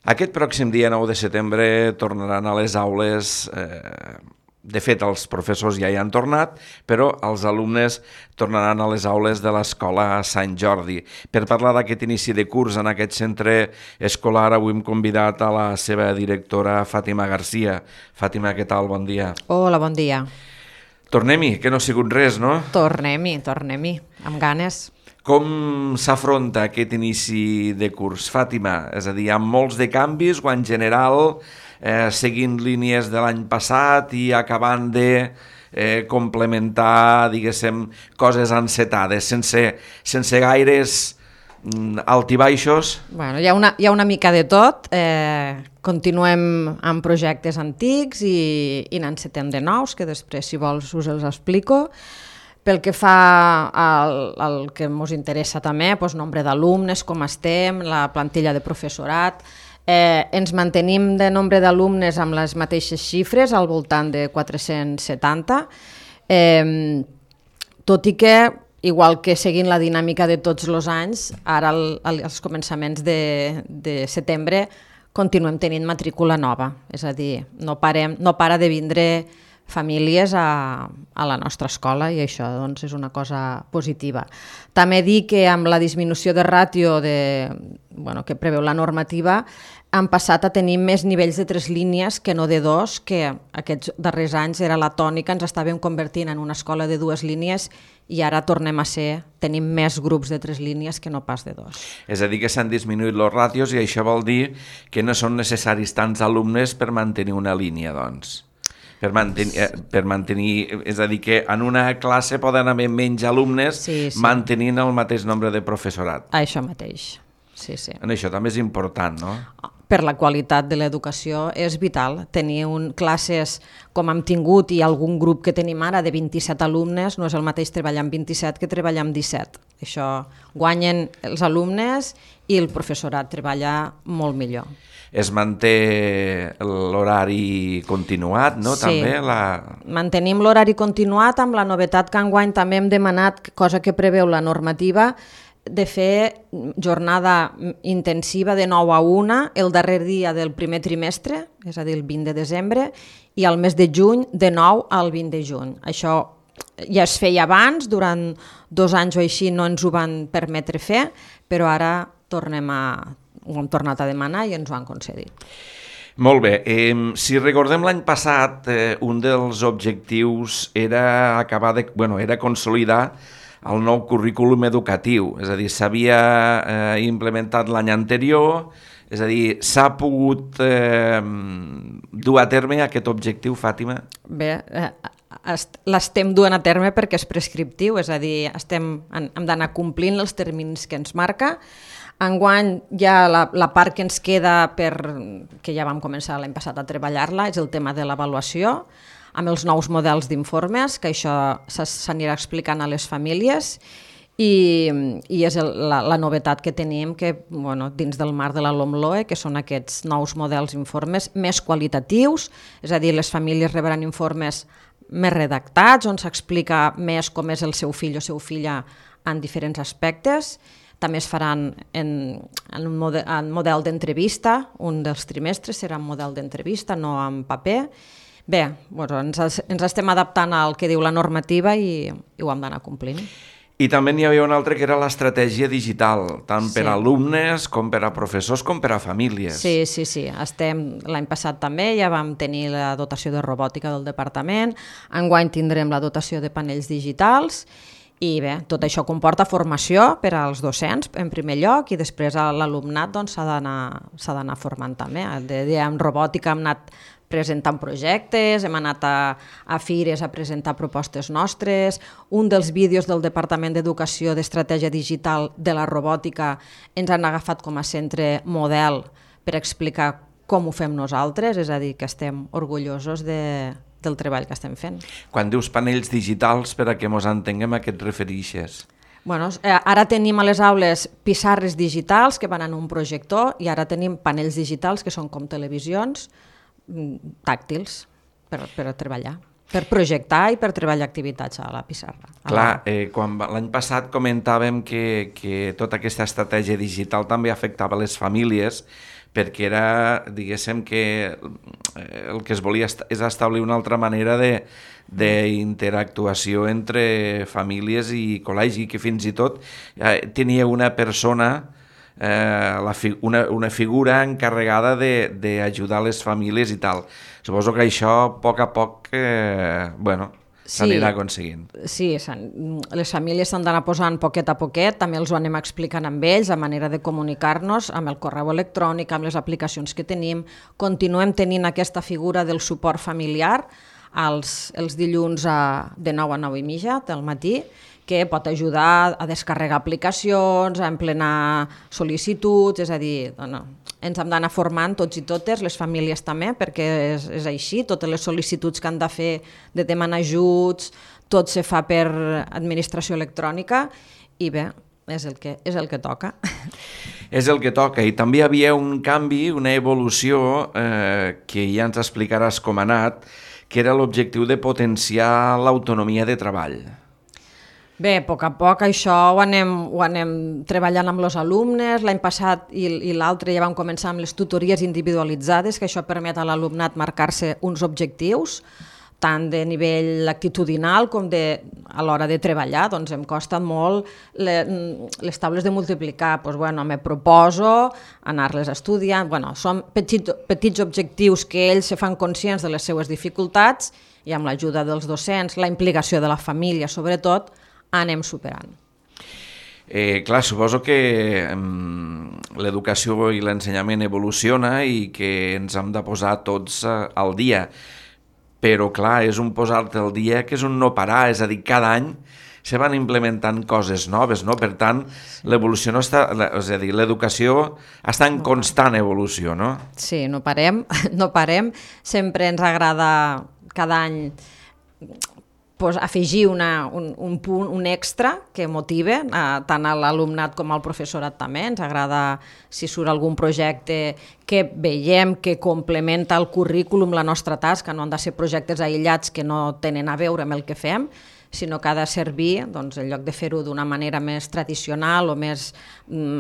Aquest pròxim dia 9 de setembre tornaran a les aules, de fet els professors ja hi han tornat, però els alumnes tornaran a les aules de l'escola Sant Jordi. Per parlar d'aquest inici de curs en aquest centre escolar, avui hem convidat a la seva directora Fàtima Garcia. Fàtima, què tal? Bon dia. Hola, bon dia. Tornem-hi, que no ha sigut res, no? Tornem-hi, amb ganes. Com s'afronta aquest inici de curs, Fàtima? És a dir, amb molts de canvis o en general seguint línies de l'any passat i acabant de complementar, diguéssim, coses encetades, sense gaires altibaixos? Bueno, hi ha una mica de tot. Continuem amb projectes antics i n'encetem de nous, que després, si vols, us els explico. Pel que fa al que ens interessa també, doncs, nombre d'alumnes, com estem, la plantilla de professorat, ens mantenim de nombre d'alumnes amb les mateixes xifres, al voltant de 470, tot i que, igual que seguint la dinàmica de tots els anys, ara als començaments de setembre continuem tenint matrícula nova, és a dir, no para de vindre famílies a la nostra escola i això doncs, és una cosa positiva. També dir que amb la disminució de ràtio que preveu la normativa han passat a tenir més nivells de 3 línies que no de 2, que aquests darrers anys era la tònica, ens estàvem convertint en una escola de 2 línies i ara tornem a tenim més grups de 3 línies que no pas de 2. És a dir, que s'han disminuït els ràtios i això vol dir que no són necessaris tants alumnes per mantenir una línia, doncs. Per mantenir, és a dir, que en una classe poden haver menys alumnes mantenint el mateix nombre de professorat. Això mateix, sí. Això també és important, no? Per la qualitat de l'educació és vital. Tenir classes com hem tingut i algun grup que tenim ara de 27 alumnes no és el mateix treballar amb 27 que treballar amb 17. Això guanyen els alumnes i el professorat treballa molt millor. Es manté l'horari continuat, no? Sí, també mantenim l'horari continuat amb la novetat que enguany també hem demanat, cosa que preveu la normativa, de fer jornada intensiva de 9 a 1 el darrer dia del primer trimestre, és a dir, el 20 de desembre, i al mes de juny de 9 al 20 de juny. Això ja es feia abans, durant 2 anys o així no ens ho van permetre fer, però ara ho hem tornat a demanar i ens ho han concedit. Molt bé. Si recordem l'any passat, un dels objectius era era consolidar el nou currículum educatiu, és a dir, s'havia implementat l'any anterior, és a dir, s'ha pogut dur a terme aquest objectiu, Fàtima? Bé, l'estem duent a terme perquè és prescriptiu, és a dir, hem d'anar complint els terminis que ens marca. Enguany ja la part que ens queda, que ja vam començar l'any passat a treballar-la, és el tema de l'avaluació, amb els nous models d'informes, que això s'anirà explicant a les famílies, i és la novetat que tenim que, dins del marc de la LOMLOE, que són aquests nous models d'informes més qualitatius, és a dir, les famílies rebran informes més redactats, on s'explica més com és el seu fill o seu filla en diferents aspectes. També es faran en model d'entrevista, un dels trimestres serà en model d'entrevista, no en paper. Bé, ens estem adaptant al que diu la normativa i ho hem d'anar complint. I també n'hi havia una altra que era l'estratègia digital, tant per a alumnes com per a professors com per a famílies. Sí. L'any passat també ja vam tenir la dotació de robòtica del departament, enguany tindrem la dotació de panells digitals. I bé, tot això comporta formació per als docents, en primer lloc, i després l'alumnat s'ha d'anar formant també. En robòtica hem anat presentant projectes, hem anat a fires a presentar propostes nostres. Un dels vídeos del Departament d'Educació d'Estratègia Digital de la Robòtica ens han agafat com a centre model per explicar com ho fem nosaltres, és a dir, que estem orgullosos del treball que estem fent. Quan dius panells digitals, per a què ens entenguem, a què et refereixes? Ara tenim a les aules pissarres digitals que van en un projector i ara tenim panells digitals que són com televisions tàctils per a treballar, per projectar i per treballar activitats a la pissarra. Clar, quan l'any passat comentàvem que tota aquesta estratègia digital també afectava les famílies perquè era, diguéssim, que el que es volia és establir una altra manera d'interactuació entre famílies i col·legi, que fins i tot tenia una persona, una figura encarregada d'ajudar les famílies i tal. Suposo que això a poc s'anirà aconseguint. Sí, les famílies s'han d'anar posant poquet a poquet, també els ho anem explicant amb ells, la manera de comunicar-nos, amb el correu electrònic, amb les aplicacions que tenim. Continuem tenint aquesta figura del suport familiar els dilluns de 9 a 9 i mitja del matí, que pot ajudar a descarregar aplicacions, a emplenar sol·licituds, és a dir, ens hem d'anar formant tots i totes, les famílies també, perquè és així, totes les sol·licituds que han de fer de demanar ajuts, tot se fa per administració electrònica i bé, és el que toca. És el que toca, i també hi havia un canvi, una evolució que ja ens explicaràs com ha anat, que era l'objectiu de potenciar l'autonomia de treball. Bé, a poc això ho anem treballant amb els alumnes. L'any passat i l'altre ja vam començar amb les tutories individualitzades, que això permet a l'alumnat marcar-se uns objectius, tant de nivell actitudinal com a l'hora de treballar. Doncs em costen molt les taules de multiplicar. Me proposo anar-les estudiant. Són petits objectius que ells se fan conscients de les seues dificultats i amb l'ajuda dels docents, la implicació de la família sobretot, anem superant. Clar, suposo que l'educació i l'ensenyament evoluciona i que ens hem de posar tots al dia, però clar, és un posar-te al dia que és un no parar, és a dir, cada any se van implementant coses noves, no? Per tant, l'evolució no està, és a dir, l'educació està en constant evolució, no? Sí, no parem, sempre ens agrada cada any afegir un punt, un extra que motive tant a l'alumnat com al professorat també. Ens agrada si surt algun projecte que veiem que complementa el currículum, la nostra tasca, no han de ser projectes aïllats que no tenen a veure amb el que fem, sinó que ha de servir, doncs, en lloc de fer-ho d'una manera més tradicional o més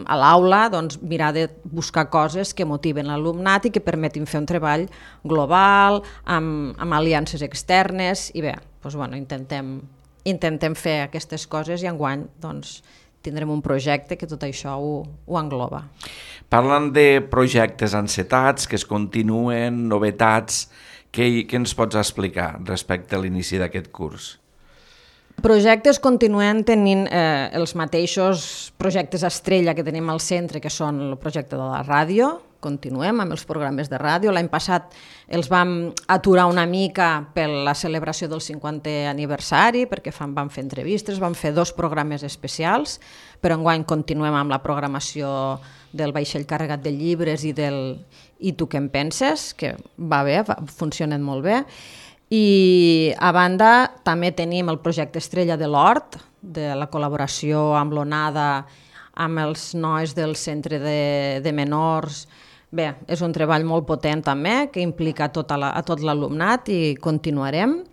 a l'aula, doncs, mirar de buscar coses que motiven l'alumnat i que permetin fer un treball global, amb aliances externes, i bé, doncs, intentem fer aquestes coses i enguany doncs, tindrem un projecte que tot això ho engloba. Parlant de projectes encetats, que es continuen, novetats, què ens pots explicar respecte a l'inici d'aquest curs? Projectes continuen tenint els mateixos projectes estrella que tenim al centre, que són el projecte de la ràdio. Continuem amb els programes de ràdio. L'any passat els vam aturar una mica per la celebració del 50è aniversari, perquè vam fer entrevistes, vam fer 2 programes especials, però enguany continuem amb la programació del vaixell carregat de llibres i tu què en penses, que va bé, funcionen molt bé. I a banda també tenim el projecte Estrella de l'Hort, de la col·laboració amb l'ONADA, amb els nois del centre de menors. Bé, és un treball molt potent també, que implica a tot l'alumnat i continuarem.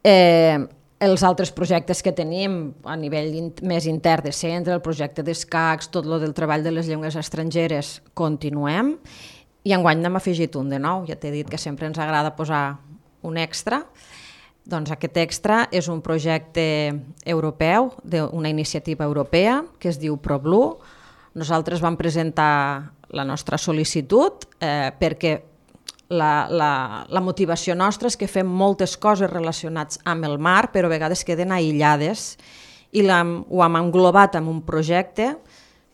Els altres projectes que tenim a nivell més intern de centre, el projecte d'escacs, tot el del treball de les llengües estrangeres, continuem. I enguany n'hem afegit un de nou, ja t'he dit que sempre ens agrada posar un extra. Doncs aquest extra és un projecte europeu, d'una iniciativa europea que es diu ProBlue. Nosaltres vam presentar la nostra sol·licitud perquè la motivació nostra és que fem moltes coses relacionades amb el mar, però a vegades queden aïllades, i ho hem englobat en un projecte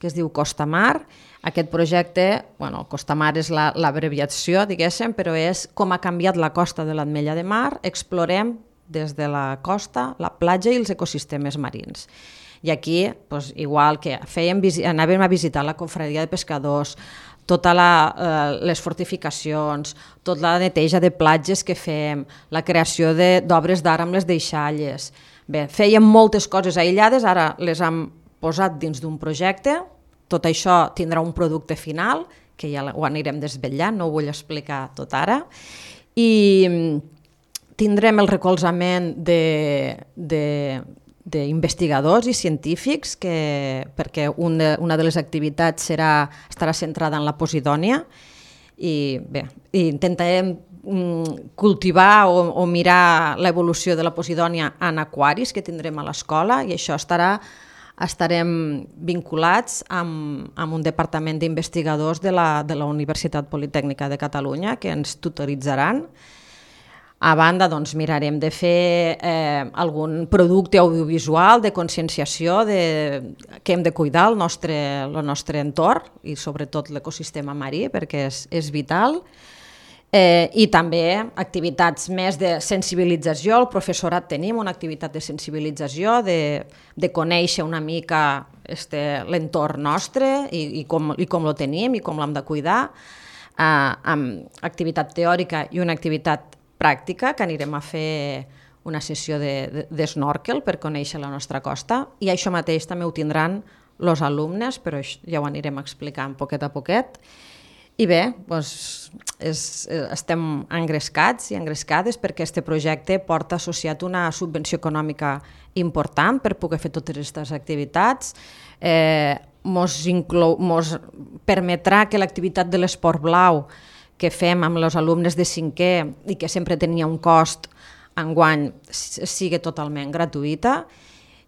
que es diu Costa Mar. Aquest projecte, Costa Mar és l'abreviació, diguéssim, però és com ha canviat la costa de l'Ametlla de Mar. Explorem des de la costa, la platja i els ecosistemes marins. I aquí, igual que anàvem a visitar la confraria de pescadors, totes les fortificacions, tota la neteja de platges que fem, la creació d'obres d'art amb les deixalles. Bé, fèiem moltes coses aïllades, ara les hem posat dins d'un projecte. Tot això tindrà un producte final, que ja ho anirem desvetllant, no ho vull explicar tot ara, i tindrem el recolzament d'investigadors i científics, perquè una de les activitats estarà centrada en la posidònia, i bé, intentarem cultivar o mirar l'evolució de la posidònia en aquaris que tindrem a l'escola, i això estarem vinculats amb un departament d'investigadors de la Universitat Politècnica de Catalunya que ens tutoritzaran. A banda, doncs, mirarem de fer algun producte audiovisual de conscienciació que hem de cuidar el nostre entorn i sobretot l'ecosistema marí, perquè és vital. I també activitats més de sensibilització. El professorat tenim una activitat de sensibilització, de conèixer una mica l'entorn nostre i com lo tenim i com l'hem de cuidar, amb activitat teòrica i una activitat pràctica, que anirem a fer una sessió d'snorkel per conèixer la nostra costa, i això mateix també ho tindran els alumnes, però ja ho anirem explicant poquet a poquet. I bé, doncs, estem engrescats i engrescades perquè aquest projecte porta associat una subvenció econòmica important per poder fer totes aquestes activitats. Mos permetrà que l'activitat de l'esport blau que fem amb els alumnes de 5è i que sempre tenia un cost, enguany sigui totalment gratuïta.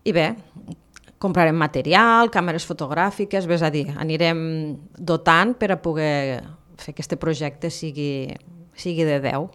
I bé, comprarem material, càmeres fotogràfiques, és a dir, anirem dotant per a poder fer que aquest projecte sigui de 10.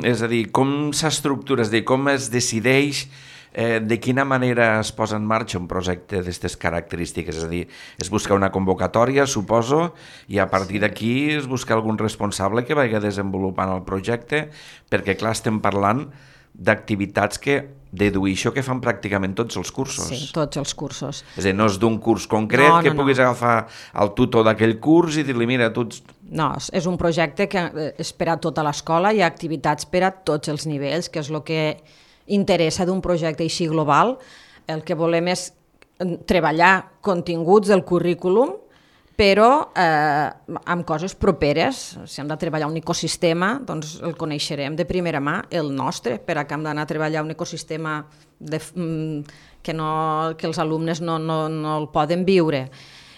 És a dir, com s'estructura, com es decideix, de quina manera es posa en marxa un projecte d'aquestes característiques? És a dir, es busca una convocatòria, suposo, i a partir d'aquí es busca algun responsable que vagi desenvolupant el projecte, perquè, clar, estem parlant d'activitats que deduïixo que fan pràcticament tots els cursos. Sí, tots els cursos. És a dir, no és d'un curs concret que puguis agafar el tutor d'aquell curs i dir-li, mira, tu ets... No, és un projecte que és per a tota l'escola, hi ha activitats per a tots els nivells, que és el que interessa d'un projecte així global. El que volem és treballar continguts del currículum, però amb coses properes. Si hem de treballar un ecosistema, doncs el coneixerem de primera mà, el nostre, per a que hem d'anar a treballar un ecosistema que els alumnes no el poden viure.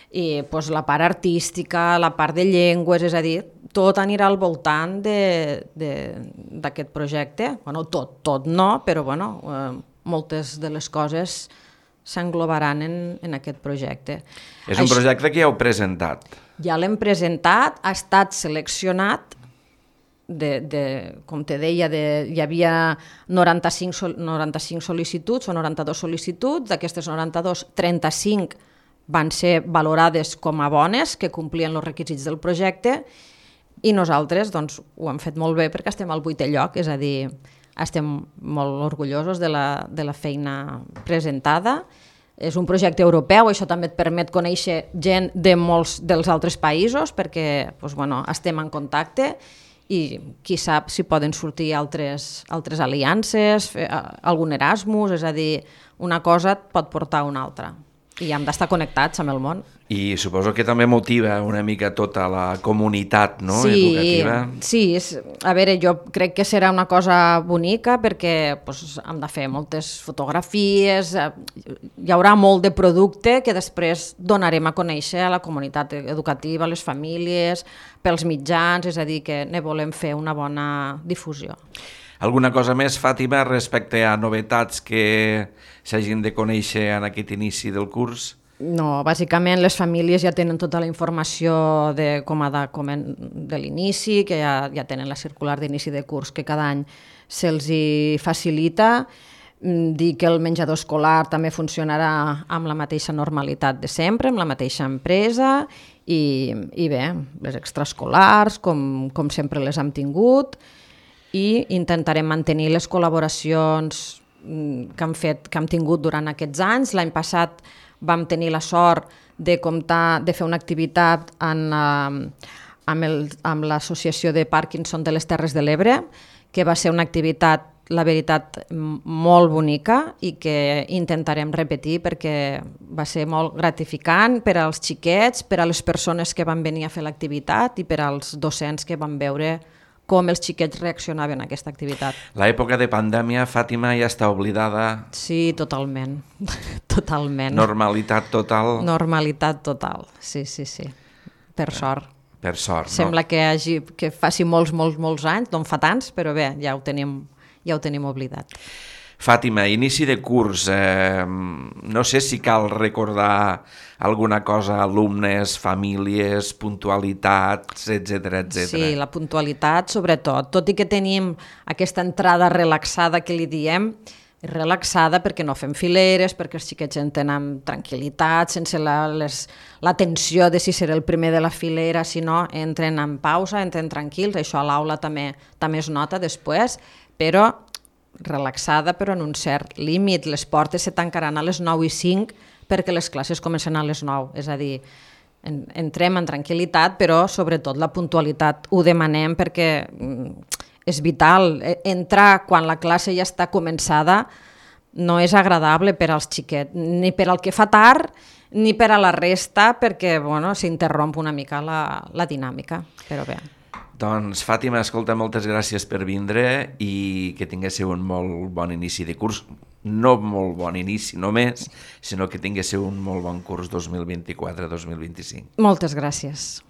I doncs, la part artística, la part de llengües, és a dir, tot anirà al voltant d'aquest projecte. Bueno, tot no, però moltes de les coses s'englobaran en aquest projecte. És un projecte que ja heu presentat. Ja l'hem presentat, ha estat seleccionat, com te deia, hi havia 95 sol·licituds o 92 sol·licituds, d'aquestes 92, 35 van ser valorades com a bones, que complien els requisits del projecte, i nosaltres ho hem fet molt bé perquè estem al 8è lloc, és a dir, estem molt orgullosos de la feina presentada. És un projecte europeu, això també et permet conèixer gent de molts dels altres països, perquè estem en contacte i qui sap si poden sortir altres aliances, algun Erasmus, és a dir, una cosa et pot portar a una altra. I hem d'estar connectats amb el món. I suposo que també motiva una mica tota la comunitat, no? Educativa. Sí, a veure, jo crec que serà una cosa bonica perquè hem de fer moltes fotografies, hi haurà molt de producte que després donarem a conèixer a la comunitat educativa, a les famílies, pels mitjans, és a dir, que ne volem fer una bona difusió. Alguna cosa més, Fàtima, respecte a novetats que s'hagin de conèixer en aquest inici del curs? No, bàsicament les famílies ja tenen tota la informació de l'inici, que ja tenen la circular d'inici de curs que cada any se'ls facilita. Dir que el menjador escolar també funcionarà amb la mateixa normalitat de sempre, amb la mateixa empresa, i bé, les extraescolars, com sempre les hem tingut, i intentarem mantenir les col·laboracions que hem tingut durant aquests anys. L'any passat vam tenir la sort de fer una activitat amb l'Associació de Parkinson de les Terres de l'Ebre, que va ser una activitat, la veritat, molt bonica i que intentarem repetir perquè va ser molt gratificant per als xiquets, per a les persones que van venir a fer l'activitat i per als docents que van veure com els xiquets reaccionaven a aquesta activitat. L'època de pandèmia, Fàtima, ja està oblidada? Sí, totalment. Totalment. Normalitat total? Normalitat total, sí. Per sort. Per sort, Sembla que faci molts anys, no en fa tants, però bé, ja ho tenim oblidat. Fàtima, inici de curs, no sé si cal recordar alguna cosa, alumnes, famílies, puntualitats, etc. Sí, la puntualitat sobretot, tot i que tenim aquesta entrada relaxada que li diem, relaxada perquè no fem fileres, perquè els xiquets entren amb tranquil·litat, sense la tensió de si serà el primer de la filera, si no, entren en pausa, entren tranquils, això a l'aula també es nota després, però relaxada però en un cert límit. Les portes se tancaran a les 9:05 perquè les classes comencen a les 9, és a dir, entrem en tranquil·litat, però sobretot la puntualitat ho demanem perquè és vital. Entrar quan la classe ja està començada no és agradable per als xiquets, ni per al que fa tard ni per a la resta, perquè s'interromp una mica la dinàmica, però bé. Doncs, Fàtima, escolta, moltes gràcies per vindre i que tinguéssiu un molt bon inici de curs. No molt bon inici només, sinó que tinguéssiu un molt bon curs 2024-2025. Moltes gràcies.